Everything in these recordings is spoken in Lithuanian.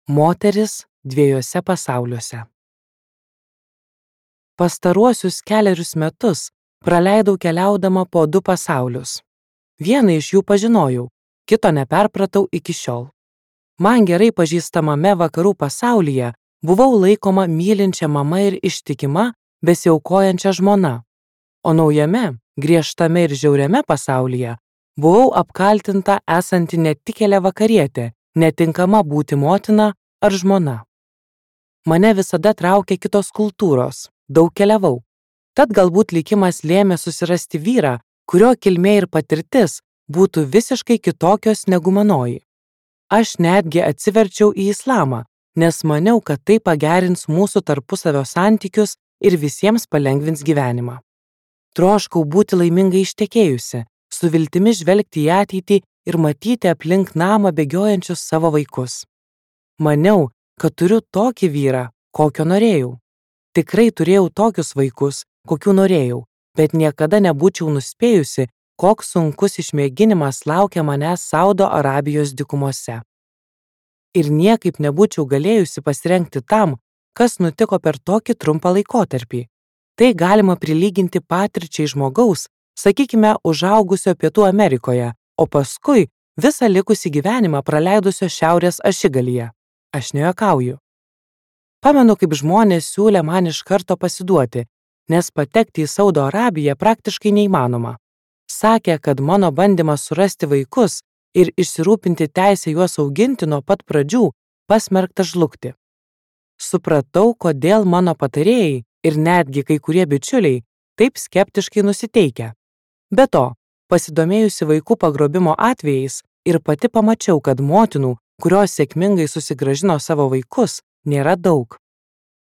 Moteris dviejuose pasauliuose. Pastaruosius 4 metus praleidau keliaudama po 2 pasaulius. Vieną iš jų pažinojau, kito neperpratau iki šiol. Man gerai pažįstamame vakarų pasaulyje buvau laikoma mylinčia mama ir ištikima, besiaukojančia žmona, o naujame, griežtame ir žiauriame pasaulyje buvau apkaltinta esanti netikėlė vakarietė, netinkama būti motina ar žmona. Mane visada traukė kitos kultūros, daug keliavau. Tad galbūt likimas lėmė susirasti vyrą, kurio kilmė ir patirtis būtų visiškai kitokios negu manoji. Aš netgi atsiverčiau į islamą, nes maniau, kad tai pagerins mūsų tarpusavio santykius ir visiems palengvins gyvenimą. Troškau būti laimingai ištekėjusi, su viltimi žvelgti į ateitį ir matyti aplink namą bėgiojančius savo vaikus. Maniau, kad turiu tokį vyrą, kokio norėjau. Tikrai turėjau tokius vaikus, kokių norėjau, bet niekada nebūčiau nuspėjusi, koks sunkus išmėginimas laukia manęs Saudo Arabijos dykumose. Ir niekaip nebūčiau galėjusi pasirengti tam, kas nutiko per tokį trumpą laikotarpį. Tai galima prilyginti patirčiai žmogaus, sakykime, užaugusio Pietų Amerikoje, o paskui visą likusį gyvenimą praleidusio Šiaurės ašigalyje. Aš nejuokauju. Pamenu, kaip žmonės siūlė man iš karto pasiduoti, nes patekti į Saudo Arabiją praktiškai neįmanoma. Sakė, kad mano bandymas surasti vaikus ir išsirūpinti teisę juos auginti nuo pat pradžių pasmerktas žlugti. Supratau, kodėl mano patarėjai ir netgi kai kurie bičiuliai taip skeptiškai nusiteikę. Be to, pasidomėjusi vaikų pagrobimo atvejais ir pati pamačiau, kad motinų, kurios sėkmingai susigrąžino savo vaikus, nėra daug.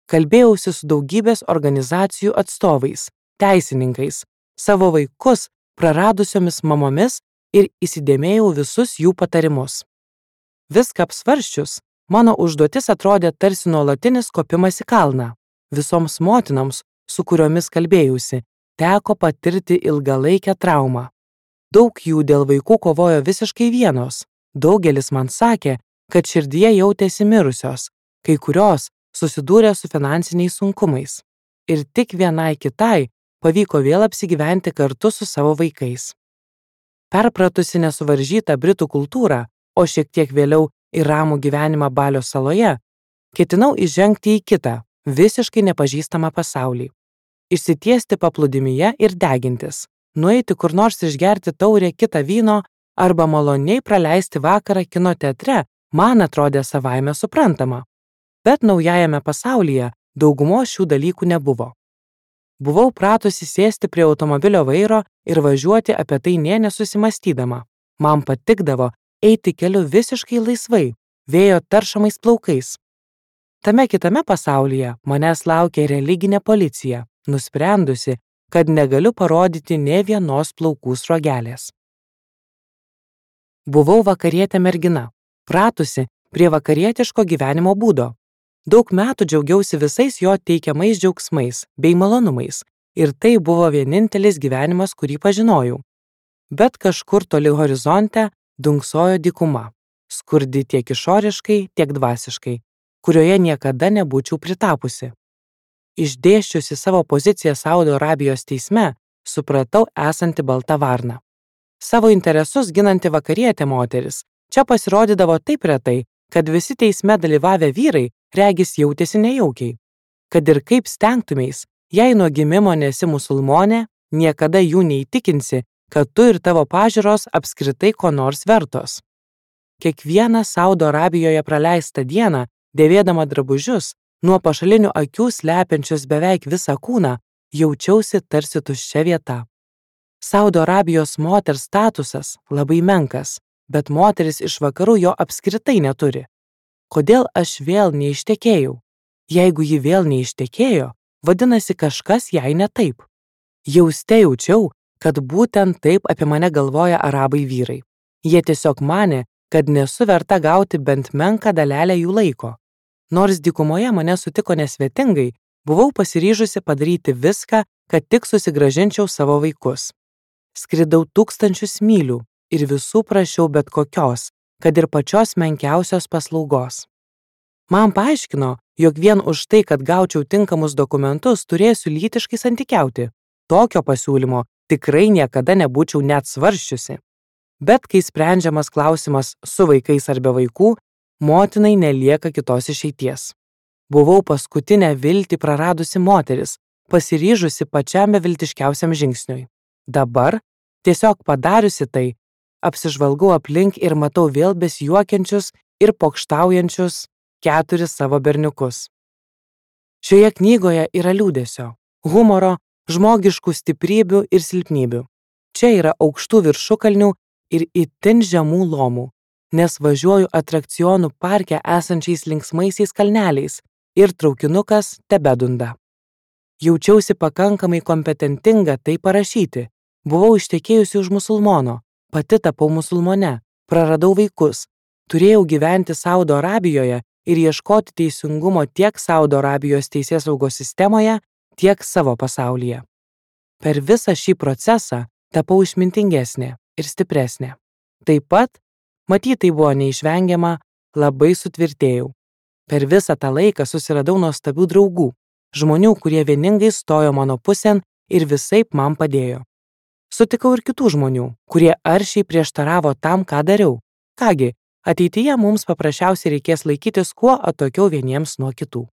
Kalbėjausi su daugybės organizacijų atstovais, teisininkais, savo vaikus praradusiomis mamomis ir įsidėmėjau visus jų patarimus. Viską apsvarsčius, mano užduotis atrodė tarsi nuolatinis kopimas į kalną. Visoms motinoms, su kuriomis kalbėjausi, teko patirti ilgalaikę traumą. Daug jų dėl vaikų kovojo visiškai vienos. Daugelis man sakė, kad širdyje jautėsi mirusios, kai kurios susidūrė su finansiniais sunkumais. Ir tik vienai kitai pavyko vėl apsigyventi kartu su savo vaikais. Perpratusi nesuvaržytą britų kultūrą, o šiek tiek vėliau ir ramų gyvenimą Balio saloje, ketinau įžengti į kitą, visiškai nepažįstamą pasaulį. Išsitiesti paplūdimyje ir degintis, nueiti kur nors išgerti taurę kitą vyno arba maloniai praleisti vakarą kino teatre man atrodė savaime suprantama. Bet naujajame pasaulyje daugumos šių dalykų nebuvo. Buvau pratusi sėsti prie automobilio vairo ir važiuoti apie tai nė nesusimastydama. Man patikdavo eiti keliu visiškai laisvai, vėjo taršomais plaukais. Tame kitame pasaulyje manęs laukė religinė policija, nusprendusi, kad negaliu parodyti nė vienos plaukų sruogelės. Buvau vakarietė mergina, pratusi prie vakarietiško gyvenimo būdo. Daug metų džiaugiausi visais jo teikiamais džiaugsmais bei malonumais ir tai buvo vienintelis gyvenimas, kurį pažinojau. Bet kažkur toli horizonte dunksojo dykuma, skurdi tiek išoriškai, tiek dvasiškai, kurioje niekada nebūčiau pritapusi. Išdėsčiusi savo poziciją Saudo Arabijos teisme, supratau esanti balta varna. Savo interesus ginanti vakarietė moteris čia pasirodydavo taip retai, kad visi teisme dalyvavę vyrai regis jautėsi nejaukiai. Kad ir kaip stengtumeis, jei nuo gimimo nesi musulmonė, niekada jų neįtikinsi, kad tu ir tavo pažiūros apskritai ko nors vertos. Kiekvieną Saudo Arabijoje praleistą dieną, dėvėdama drabužius, nuo pašalinių akių slepiančius beveik visą kūną, jaučiausi tarsi tuščia vieta. Saudo Arabijos moters statusas labai menkas, bet moteris iš vakarų jo apskritai neturi. Kodėl aš vėl neištekėjau? Jeigu ji vėl neištekėjo, vadinasi kažkas jai ne taip. Jauste jaučiau, kad būtent taip apie mane galvoja arabai vyrai. Jie tiesiog manė, kad nesu verta gauti bent menką dalelę jų laiko. Nors dykumoje mane sutiko nesvetingai, buvau pasiryžusi padaryti viską, kad tik susigrąžinčiau savo vaikus. Skridau 1000 mylių ir visų prašiau bet kokios, kad ir pačios menkiausios paslaugos. Man paaiškino, jog vien už tai, kad gaučiau tinkamus dokumentus, turėsiu lytiškai santykiauti. Tokio pasiūlymo tikrai niekada nebūčiau net svarsčiusi. Bet kai sprendžiamas klausimas su vaikais ar be vaikų, motinai nelieka kitos išeities. Buvau paskutinę viltį praradusi moteris, pasiryžusi pačiam beviltiškiausiam žingsniui. Dabar, tiesiog padariusi tai, apsižvalgau aplink ir matau vėl besijuokiančius ir pokštaujančius 4 savo berniukus. Šioje knygoje yra liūdesio, humoro, žmogiškų stiprybių ir silpnybių. Čia yra aukštų viršukalnių ir itin žemų lomų, nes važiuoju atrakcionų parke esančiais linksmaisiais kalneliais ir traukinukas tebedunda. Jaučiausi pakankamai kompetentinga tai parašyti. Buvau ištekėjusi už musulmono, pati tapau musulmone, praradau vaikus, turėjau gyventi Saudo Arabijoje ir ieškoti teisingumo tiek Saudo Arabijos teisėsaugos sistemoje, tiek savo pasaulyje. Per visą šį procesą tapau išmintingesnė ir stipresnė. Taip pat, matyt, tai buvo neišvengiama, labai sutvirtėjau. Per visą tą laiką susiradau nuostabių draugų, žmonių, kurie vieningai stojo mano pusėn ir visaip man padėjo. Sutikau ir kitų žmonių, kurie aršiai prieštaravo tam, ką dariau. Kągi, ateityje mums paprasčiausiai reikės laikytis kuo atokiau vieniems nuo kitų.